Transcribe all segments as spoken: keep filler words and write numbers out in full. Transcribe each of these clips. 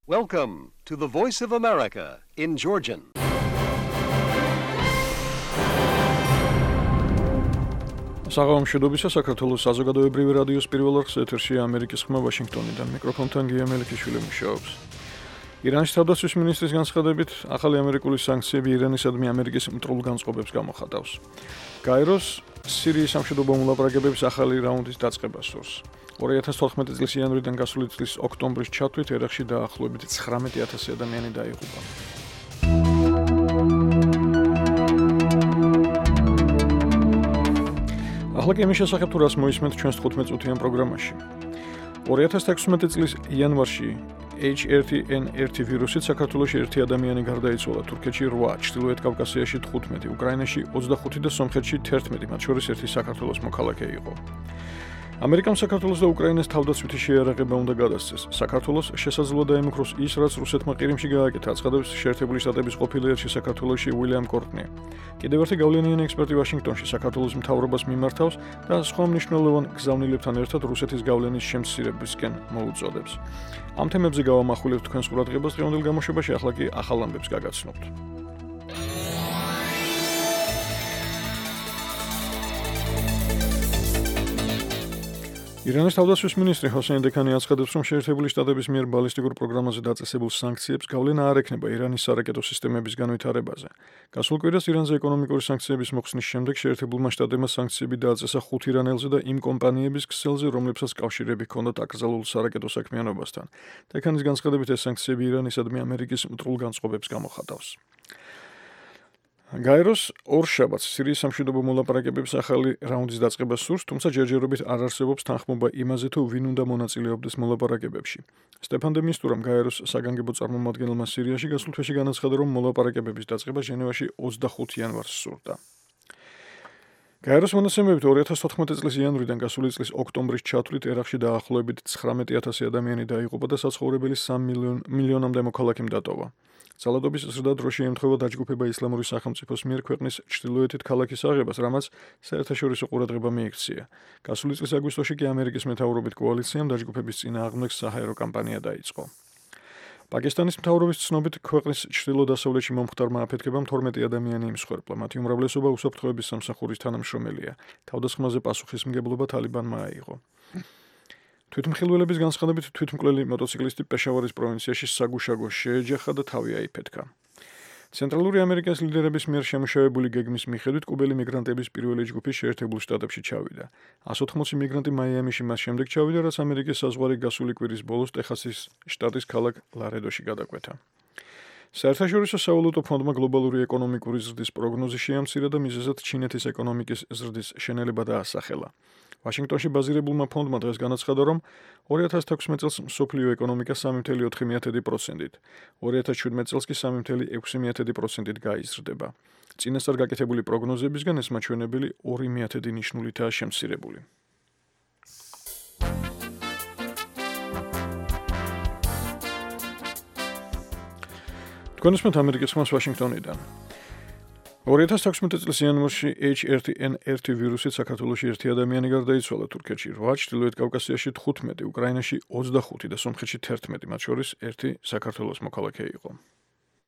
Welcome to the Voice of America in Georgian. საღამოშედობისა საქართველოს საზოგადოებრივი რადიოს პირველ არხს ეთერში ამერიკის ხმა ვაშინგტონიდან მიკროფონთან გია მელიქიშვილი მუშაობს. ირანის თავდაცვის მინისტრის განცხადებით, ახალი ამერიკული სანქციები ირანისადმი ამერიკის მტრულ განწყობებს გამოხატავს. გაეროს სირიის სამშვიდობო მოლაპარაკებების ახალი რაუნდის დაწყებას სურს. ორი ათას თოთხმეტი წლის იანვრიდან გასული წლის ოქტომბრის ჩათვლით ერაყში დაახლოებით ცხრამეტი ათასი ადამიანი დაიღუპა. ახლა კი იმის შესახებ თუ რას მოისმენთ ჩვენს თხუთმეტ წუთიან პროგრამაში. ორი ათას თექვსმეტი წლის იანვარში ეიჩ ერთ ენ ერთ ვირუსით საქართველოში ერთი ადამიანი გარდაიცვალა, თურქეთში რვა, ჩრდილოეთ კავკასიაში თხუთმეტი, უკრაინაში ოცდახუთი და სომხეთში თერთმეტი, მათ შორის ერთი საქართველოს მოქალაქე იყო. ამერიკამ საქართველოს და უკრაინას თავდაცვითი შეიარაღება უნდა გადასცეს. საქართველოს შესაძლოა დაემუქროს ის, რაც რუსეთმა ყირიმში გააკეთა, აცხადებს შეერთებული შტატების ყოფილი ელჩი საქართველოში უილიამ კორტნი. კიდევ ერთი გავლენიანი ექსპერტი ვაშინგტონში საქართველოს მთავრობას მიმართავს და სხვა მნიშვნელოვან გზავნილებთან ერთად რუსეთის გავლენის შემცირებისკენ მოუწოდებს. ამ თემებზე გავამახვილებთ თქვენს ყურადღებას დღევანდელ გამოშვებაში, ახლა კი ახალ ამბებს გაგაცნობთ. ირანის თავდაცვის მინისტრი ჰოსეინ დექანი აცხადებს, რომ შეერთებული შტატების მიერ ბალისტიკურ პროგრამაზე დაწესებულ სანქციებს გავლენა არ ექნება ირანის სარაკეტო სისტემების განვითარებაზე. გასულ კვირას ირანზე ეკონომიკური სანქციების მოხსნის შემდეგ შეერთებულმა შტატებმა სანქციები დააწესა ხუთ ირანელზე და იმ კომპანიების ქსელზე, რომლებსაც კავშირები ჰქონდათ აკრძალულ სარაკეტო საქმიანობასთან. დექანის განცხადებით, ეს სანქციები ირანისადმი ამერიკის მტრულ განწყობებს გამოხატავს. გაეროს ორშაბათს სირიის სამშვიდობო მოლაპარაკებების ახალი რაუნდის დაწყებას სურს, თუმცა ჯერჯერობით არ არსებობს თანხმობა იმაზე, თუ ვინ უნდა მონაწილეობდეს მოლაპარაკებებში. სტეფან დე მისტურამ გაეროს საგანგებო წარმომადგენელმა სირიაში გასულ თვეში განაცხადა, რომ მოლაპარაკებების დაწყება ჟენევაში ოცდახუთი იანვარს სურდა. გაეროს მონაცემებით ორი ათას თოთხმეტი წლის იანვრიდან გასული წლის ოქტომბრის ჩათვლით ერაყში დაახლოებით ცხრამეტი ათასი ადამიანი დაიღუპა და საცხოვრებელი სამ მილიონამდე მოქალაქემ დატოვა. ძალადობის ზრდა დროში ემთხვევა დაჯგუფება ისლამური სახელმწიფოს მიერ ქვეყნის ჩრდილოეთით ქალაქის აღებას, რამაც საერთაშორისო ყურადღება მიექცია. გასული წლის აგვისტოში კი ამერიკის მეთაურობით კოალიციამ დაჯგუფების წინააღმდეგს საჰაერო კამპანია დაიწყო. პაკისტანის მთავრობის ცნობით, ქვეყნის ჩრდილო-დასავლეთში მომხდარმა აფეთქებამ თორმეტი ადამიანი იმსხვერპლა, მათი უმრავლესობა უსაფრთხოების სამსახურის თანამშრომელია. თავდასხმაზე პასუხისმგებლობა თალიბანმა აიღო. თვითმხილველების განცხადებით, თვითმკვლელი მოტოციკლისტი პეშავარის პროვინციაში საგუშაგო შეეჯახა და თავი აიფეთქა. ცენტრალური ამერიკის ლიდერების მიერ შემუშავებული გეგმის მიხედვით, კუბელი მიგრანტების პირველი ჯგუფი შეერთებულ შტატებში ჩავიდა. εκατს ოცდაოთხი მიგრანტი მაიამიში მას შემდეგ ჩავიდა, რაც ამერიკის საზღვარი გასული კვირის ბოლოს ტეხასის შტატის ქალაქ ლარედოში გადაკვეთა. საერთაშორისო სავალუტო ფონდმა გლობალური ეკონომიკური ზრდის პროგნოზი შეამცირა და მიზეზად ჩინეთის ეკონომიკის ზრდის შენელება დაასახელა. ვაშინგტონში ბაზირებულმა ფონდმა დღეს განაცხადა, რომ ორი ათას თექვსმეტ წელს მსოფლიო ეკონომიკა სამი ფاصლე ოთხი პროცენტით, ორი ათას შვიდმეტ წელს კი სამი ფاصლე ექვსი პროცენტით გაიზრდება. წინასწარ გაკეთებული პროგნოზებისგან ეს მაჩვენებელი ორი ნიშნულითაა შემცირებული. თქვენ უსმენთ ამერიკის ხმას ვაშინგტონიდან. ორი ათას თექვსმეტი წლის იანვარში ეიჩ ერთ ენ ერთ ვირუსით საქართველოში ერთი ადამიანი გარდაიცვალა, თურქეთში რვა, ჩრდილოეთ კავკასიაში თხუთმეტი, უკრაინაში ოცდახუთი და სომხეთში თერთმეტი, მათ შორის ერთი საქართველოს მოქალაქე იყო.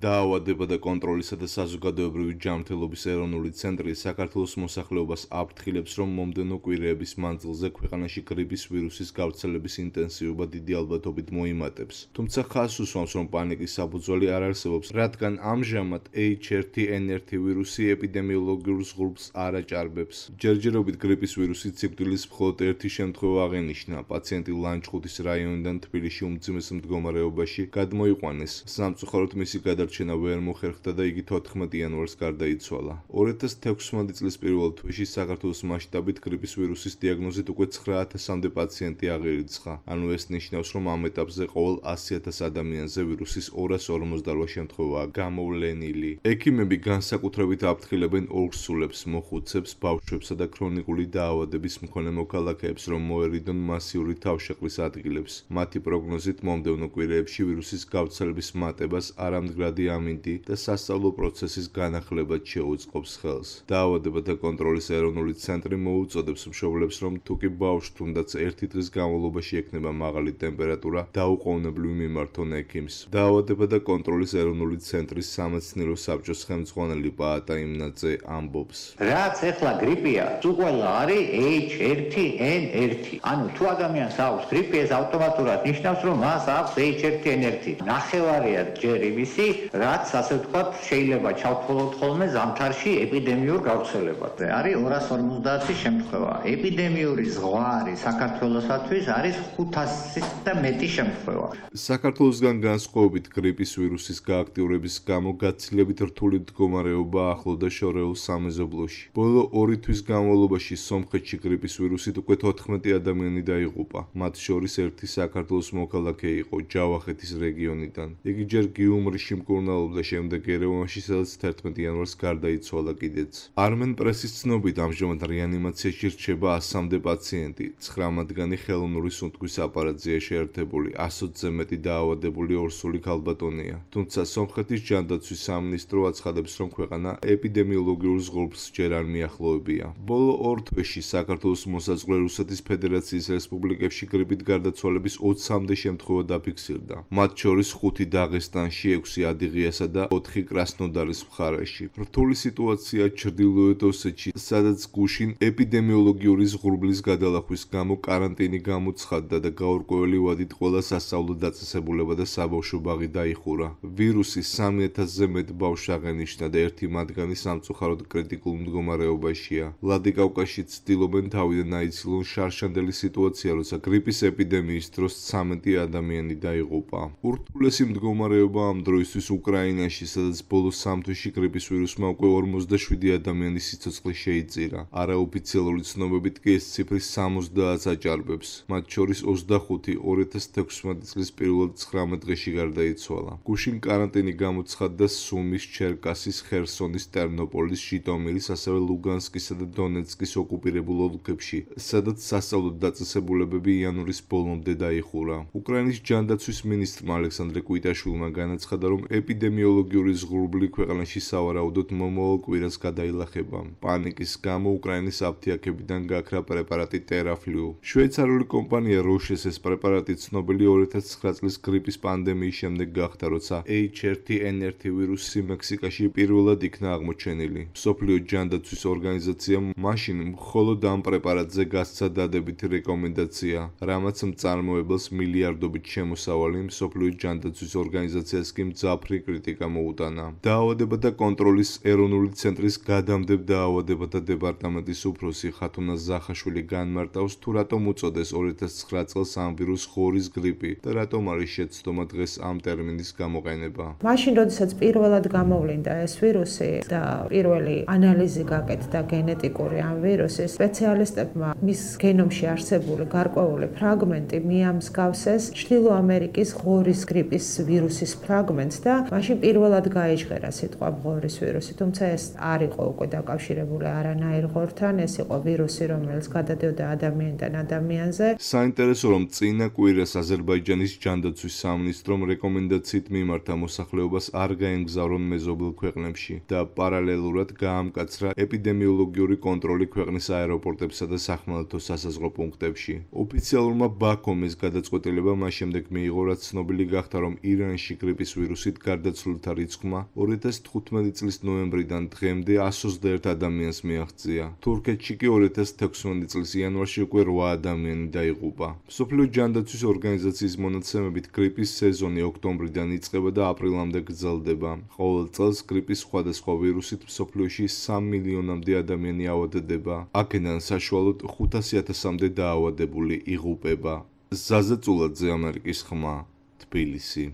დაავადება და კონტროლისა და საზოგადოებრივი ჯანმრთელობის ეროვნული ცენტრი საქართველოს მოსახლეობას აფრთხილებს, რომ მომდევნო კვირეების მანძილზე ქვეყანაში გრიპის ვირუსის გავრცელების ინტენსივობა დიდი ალბათობით მოიმატებს. თუმცა ხაზს უსვამს, რომ პანიკის საფუძველი არ არსებობს, რადგან ამჟამად ეიჩ ერთ ენ ერთ ვირუსი ეპიდემიოლოგიურ ზღურბლს არ აჭარბებს. ჯერჯერობით გრიპის ვირუსით სიკვდილის მხოლოდ ერთი შემთხვევა აღენიშნა. პაციენტი ლანჩხუთის რაიონიდან თბილისში უმძიმეს მდგომარეობაში გადმოიყვანეს. სამწუხაროდ მისი გადარჩენა ვერ მოხერხდა და იგი თოთხმეტი იანვარს გარდაიცვალა. ორი ათას თექვსმეტი წლის პირველ თვეში საქართველოს მასშტაბით გრიპის ვირუსის დიაგნოზით უკვე ცხრა ათასამდე პაციენტი აღირიცხა. ანუ ეს ნიშნავს, რომ ამ ეტაპზე ყოველ ასი ათას ადამიანზე ვირუსის ორას ორმოცდარვა შემთხვევაა გამოვლენილი. ექიმები განსაკუთრებით აფრთხილებენ ორსულებს, მოხუცებს, ბავშვებსა და ქრონიკული დაავადების მქონე მოქალაქეებს, რომ მოერიდონ მასიური თავშეყრის ადგილებს. მათი პროგნოზით მომდევნო კვირეებში ვირუსის გავრცელების მატებას არამდგრად მდგრადი ამინდი და სასწავლო პროცესის განახლებად შეუწყობს ხელს. დაავადებათა კონტროლის ეროვნული ცენტრი მოუწოდებს მშობლებს, რომ თუ კი ბავშვს თუნდაც ერთი დღის განმავლობაში ექნება მაღალი ტემპერატურა, დაუყოვნებლივ მიმართონ ექიმს. დაავადებათა კონტროლის ეროვნული ცენტრის სამეცნიერო საბჭოს ხელმძღვანელი პაატა იმნაძე ამბობს. რაც ეხლა გრიპია, თუ ყველა არის ეიჩ ერთი ენ ერთი. ანუ თუ ადამიანს აქვს გრიპი, ეს ავტომატურად ნიშნავს, რომ მას აქვს ეიჩ ერთი ენ ერთი. ნახევარია ჯერ იმისი, რაც ასე ვთქვათ, შეიძლება ჩავთვალოთ ხოლმე ზამთარში ეპიდემიურ გავრცელებაზე. არის ორას ორმოცდაათი შემთხვევა. ეპიდემიური ზღვარი საქართველოსთვის არის ხუთასის და მეტი შემთხვევა. საქართველოსგან განსხვავებით გრიპის ვირუსის გააქტიურების გამო გაცილებით რთული მდგომარეობა ახლოვდა შორეულ სამეზობლოში. ბოლო ორი თვის განმავლობაში სომხეთში გრიპის ვირუსით უკვე თოთხმეტი ადამიანი დაიღუპა. მათ შორის ერთი საქართველოს მოქალაქე იყო ჯავახეთის რეგიონიდან. იგი ჯერ გიუმრიში მკურნალობდა, შემდეგ ერევანში, სადაც თერთმეტი იანვარს გარდაიცვალა კიდეც. არმენ პრესის ცნობით ამჟამად რეანიმაციაში რჩება ასამდე პაციენტი, ცხრა მათგანი ხელოვნური სუნთქვის აპარატზეა შეერთებული, ასოცზე მეტი დაავადებული ორსული ქალბატონია. თუმცა სომხეთის ჯანდაცვის სამინისტრო აცხადებს, რომ ქვეყანა ეპიდემიოლოგიურ ზღურბლს ჯერ არ მიახლოვებია. ბოლო ორ თვეში საქართველოს მოსაზღვრე რუსეთის ფედერაციის რესპუბლიკებში გრიპით გარდაცვალების ოცამდე შემთხვევა დაფიქსირდა. მათ შორის ხუთი დაღესტანში, ექვსი ადიღიასა და ოთხი კრასნოდარის მხარეში. რთული სიტუაცია ჩრდილოეთ ოსეთში, სადაც გუშინ ეპიდემიოლოგიური ზღურბლის გადალახვის გამო კარანტინი გამოცხადდა და გაურკვეველი ვადით ყველა სასწავლო დაწესებულება და საბავშვო ბაღი დაიხურა. ვირუსი სამი ათასზე მეტ ბავშვს აღენიშნა და ერთი მათგანი სამწუხაროდ კრიტიკულ მდგომარეობაშია. ვლადიკავკაზში ცდილობენ თავიდან აიცილონ შარშანდელი სიტუაცია, როცა გრიპის ეპიდემიის დროს ცამეტი ადამიანი დაიღუპა. ურთულესი მდგომარეობა ამ დროისთვის უკრაინაში, სადაც ბოლო სამ თვეში გრიპის ვირუსმა უკვე ორმოცდაშვიდი ადამიანის სიცოცხლე შეიწირა. არაოფიციალური ცნობებით კი ეს ციფრი სამოცდაათს აჭარბებს. მათ შორის ოცდახუთი ორი ათას თექვსმეტი წლის პირველად ცხრამეტ დღეში გარდაიცვალა. გუშინ კარანტინი გამოცხადდა სუმის, ჩერკასის, ხერსონის, ტერნოპოლის, ჟიტომირის, ასევე ლუგანსკისა და დონეცკის ოკუპირებულ ოლქებში, სადაც სასწავლო დაწესებულებები იანვრის ბოლომდე დაიხურა. უკრაინის ჯანდაცვის მინისტრმა ალექსანდრე კვიტაშვილმა განაცხადა, რომ ეპიდემიოლოგიური ზღურბლი ქვეყანაში სავარაუდოდ მომავალ კვირას გადაილახება. პანიკის გამო უკრაინის აფთიაქებიდან გაქრა პრეპარატი ტერაფლიუ. შვეიცარიული კომპანია როშეს ეს პრეპარატი ცნობილი ორი ათას ცხრა წლის გრიპის პანდემიის შემდეგ გახდა, როცა ეიჩ ერთი ენ ერთი ვირუსი მექსიკაში პირველად იქნა აღმოჩენილი. მსოფლიო ჯანდაცვის ორგანიზაციამ მაშინ მხოლოდ ამ პრეპარატზე გასცა დადებითი რეკომენდაცია, რამაც მწარმოებელს მილიარდობით შემოსავალი მსოფლიო ჯანდაცვის ორგანიზაციას კი მძაფრი კრიტიკა მოუტანა. დაავადებათა კონტროლის ეროვნული ცენტრის გადამდებთ დაავადებათა დეპარტამენტის უფროსი ხათუნა ზახაშვილი განმარტავს, თუ რატომ უწოდეს ორი ათას ცხრა წელს ამ ვირუს ხორის გრიპი და რატომ არის შეცდომა დღეს ამ ტერმინის გამოყენება. მაშინ, როდესაც პირველად გამოვლინდა ეს ვირუსი და პირველი ანალიზი გაკეთდა გენეტიკური ამ ვირუსის, სპეციალისტებმა მის გენომში არსებული გარკვეული ფრაგმენტი მიამსგავსეს ჩრდილო ამერიკის ღორის გრიპის ვირუსის ფრაგმენტს და მაშინ პირველად გაიჟღერა სიტყვა ღორის ვირუსი, თუმცა ეს არ იყო უკვე დაკავშირებული არანაირ ღორთან, ეს იყო ვირუსი, რომელიც გადადიოდა ადამიანიდან ადამიანზე. საინტერესო, რომ წინა კვირას აზერბაიჯანის ჯანდაცვის სამინისტრომ რეკომენდაციით მიმართა მოსახლეობას არ გაემგზავრონ მეზობელ ქვეყნებში და პარალელურად გაამკაცრა ეპიდემიოლოგიური კონტროლი ქვეყნის აეროპორტებსა და სახმელეთო სასაზღვრო პუნქტებში. ოფიციალურმა ბაქომ ეს გადაწყვეტილება მას შემდეგ მიიღო, რაც ცნობილი გახდა, რომ ირანში გრიპის ვირუსით გარდაცვლილთა რიცხვმა ორი ათას თხუთმეტი წლის ნოემბრიდან დღემდე εκατს ოცდაერთი ადამიანს მიაღწია. თურქეთში კი ორი ათას თექვსმეტი წლის იანვარში უკვე რვა ადამიანი დაიღუპა. მსოფლიო ჯანდაცვის ორგანიზაციის მონაცემებით გრიპის სეზონი ოქტომბრიდან იწყება და აპრილამდე გრძელდება. ყოველ წელს გრიპის სხვადასხვა ვირუსით მსოფლიოში სამ მილიონამდე ადამიანი ავადდება. აქედან საშუალოდ ხუთასი ათასამდე დაავადებული იღუპება. ზაზა წულაძე, ამერიკის ხმა, თბილისი.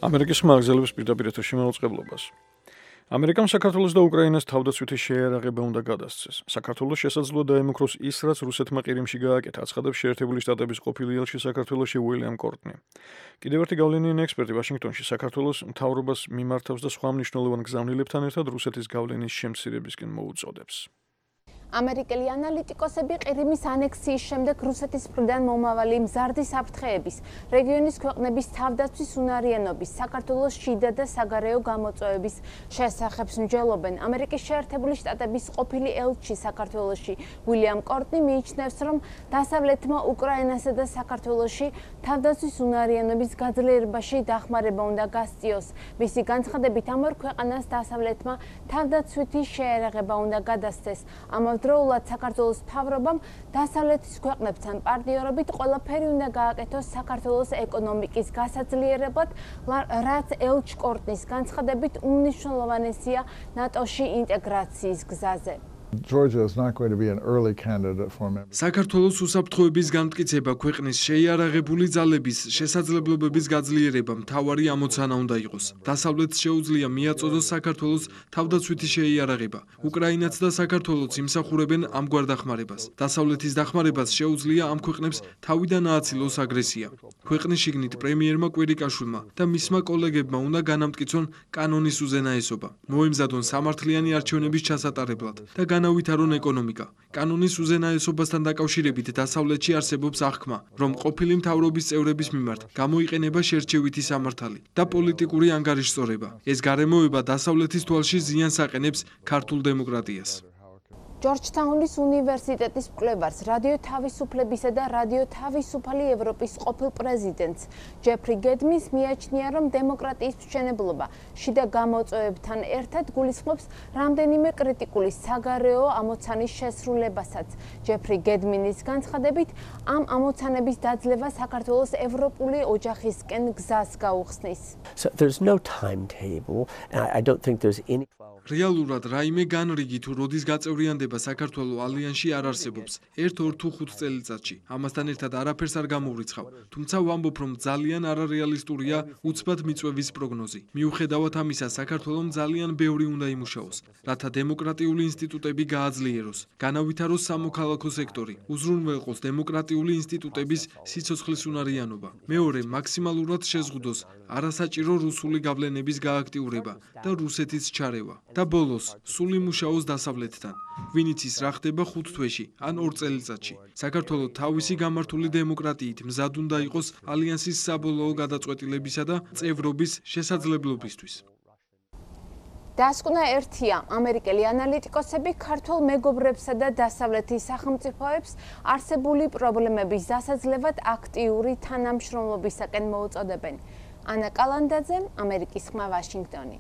ამერიკის ხმა აგზელებს პირდაპირ ეთერში მაუწყებლობას. ამერიკამ საქართველოს და უკრაინას თავდაცვითი შეერაღება უნდა გადასცეს. საქართველოს შესაძლოა დაემუქროს ის, რაც რუსეთმა ყირიმში გააკეთა, აცხადებს შეერთებული შტატების ყოფილი ელჩი საქართველოში უილიამ კორტნი. კიდევ ერთი გავლენიანი ექსპერტი ვაშინგტონში საქართველოს მთავრობას მიმართავს და სხვა მნიშვნელოვან გზავნილებთან ერთად რუსეთის გავლენის შემცირებისკენ მოუწოდებს. ამერიკელი ანალიტიკოსები ყირიმის ანექსიის შემდეგ რუსეთის მხრიდან მომავალი მზარდი საფრთხეების, რეგიონის ქვეყნების თავდაცვის უნარიანობის, საქართველოს შიდა და საგარეო გამოწვევების შესახებ მსჯელობენ. ამერიკის შეერთებული შტატების ყოფილი ელჩი საქართველოში უილიამ კორტნი მიიჩნევს, რომ დასავლეთმა უკრაინასა და საქართველოში თავდაცვის უნარიანობის გაძლიერებაში დახმარება უნდა გასწიოს. მისი განცხადებით, ამ ორ ქვეყანას დასავლეთმა თავდაცვითი შეერაღება უნდა გადასცეს. ამავდროულად საქართველოს მთავრობამ დასავლეთის ქვეყნებთან პარტნიორობით ყველაფერი უნდა გააკეთოს საქართველოს ეკონომიკის გასაძლიერებლად, რაც ელჩ კორტნის განცხადებით უმნიშვნელოვანესია ნატოში ინტეგრაციის გზაზე. Georgia is not going to be an early candidate for membership. საქართველოს უსაფრთხოების განმტკიცება ქვეყნის შეიარაღებული ძალების შესაძლებლობების გაძლიერება მთავარი ამოცანა უნდა იყოს. დასავლეთს შეუძლია მიაწოდოს საქართველოს თავდაცვითი შეიარაღება. უკრაინაც და საქართველოც იმსახურებენ ამგვარ დახმარებას. დასავლეთის დახმარებას შეუძლია ამ ქვეყნებს თავიდან ააცილოს აგრესია. ქვეყნის შიგნით პრემიერმა კვირიკაშვილმა და მისმა კოლეგებმა უნდა განამტკიცონ კანონის უზენაესობა. მოემზადონ სამართლიანი არჩევნების ჩასატარებლად და განავითარონ ეკონომიკა. კანონის უზენაესობასთან დაკავშირებით დასავლეთში არსებობს აღქმა, რომ ყოფილი მთავრობის წევრების მიმართ გამოიყენება შერჩევითი სამართალი და პოლიტიკური ანგარიშწორება. ეს გარემოება დასავლეთის თვალში ზიანს აყენებს ქართულ დემოკრატიას. ჯორჯთაუნის უნივერსიტეტის მკვლევარს, რადიო თავისუფლებისა და რადიო თავისუფალი ევროპის ყოფილ პრეზიდენტს ჯეფრი გედმის მიაჩნია, რომ დემოკრატიის მშენებლობა შიდა გამოწვევებთან ერთად გულისხმობს რამდენიმე კრიტიკული საგარეო ამოცანის შესრულებასაც. ჯეფრი გედმინის განცხადებით, ამ ამოცანების დაძლევა საქართველოს ევროპული ოჯახისკენ გზას გაუხსნის. So there's no timetable. I don't think there's any რეალურად რაიმე განრიგი თუ როდის გაწევრიანდება საქართველოს ალიანსში არ არსებობს. ერთ ორ თუ ხუთ წელიწადში. ამასთან ერთად არაფერს არ გამოვრიცხავ. თუმცა ვამბობ, რომ ძალიან არარეალისტურია უცბად მიწვევის პროგნოზი. მიუხედავად ამისა, საქართველოს ძალიან ბევრი უნდა იმუშაოს, რათა დემოკრატიული ინსტიტუტები გააძლიეროს, განავითაროს სამოქალაქო სექტორი, უზრუნველყოს დემოკრატიული ინსტიტუტების სიცოცხლის უნარიანობა. მეორე, მაქსიმალურად შეზღუდოს არასაჭირო რუსული გავლენების გააქტიურება და რუსეთის ჩარევა. და ბოლოს, სულ იმუშაოს დასავლეთთან. ვინ იცის რა ხდება ხუთ თვეში ან ორ წელიწადში. საქართველოს თავისი გამართული დემოკრატიით მზად უნდა იყოს ალიანსის საბოლოო გადაწყვეტილებისა და წევრობის შესაძლებლობისთვის. დასკვნა ერთია, ამერიკელი ანალიტიკოსები ქართულ მეგობრებსა და დასავლეთის სახელმწიფოებს არსებული პრობლემების დასაძლევად აქტიური თანამშრომლობისაკენ მოუწოდებენ. ანა კალანდაძე, ამერიკის ხმა, ვაშინგტონი.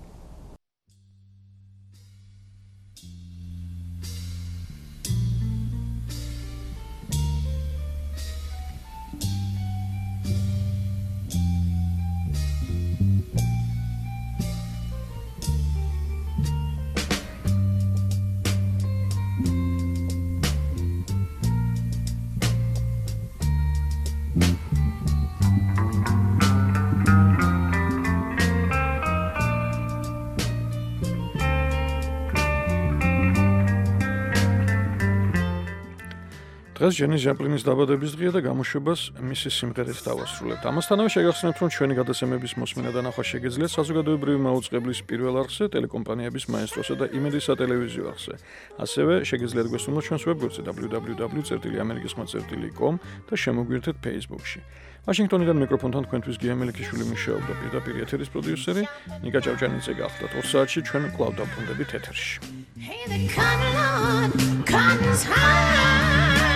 დღეს ჯენის ჟაპლინის დაბადების დღეა და გამოშვებას მისი სიმღერით დავასრულებთ. ამასთანავე შეგახსენებთ, რომ ჩვენი გადაცემების მოსმენა და ნახვა შეგეძლიათ საზოგადოებრივი მაუწყებლის პირველ არხზე, ტელეკომპანიების მაესტროსა და იმედის სატელევიზიო არხზე. ასევე შეგეძლიათ გვესტუმროთ ჩვენს ვებგვერდზე დაბლიუ დაბლიუ დაბლიუ წერტილი ამერიკის ხმა წერტილი კომ და შემოგვიერთეთ Facebook-ში. ვაშინგტონიდან მიკროფონთან თქვენთვის გია მელიქიშვილი მუშაობდა, პირდაპირ ეთერის პროდიუსერი ნიკა ჭავჭანიძე გახდათ. ორ საათში ჩვენ კვლავ დავბრუნდებით ეთერში. Hey, the cotton on, cotton's high.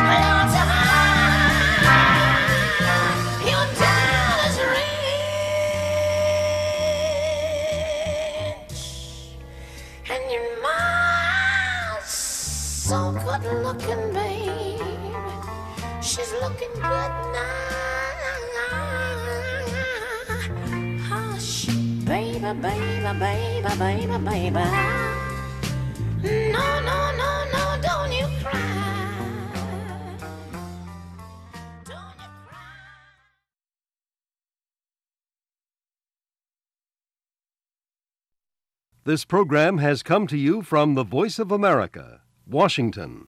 Lord's high. Your dollar's rich. And your mom's so good looking, babe. She's looking good now. Hush, baby, baby, baby, baby, baby. No, no, no, no, don't you cry. Don't you cry. This program has come to you from the Voice of America, Washington.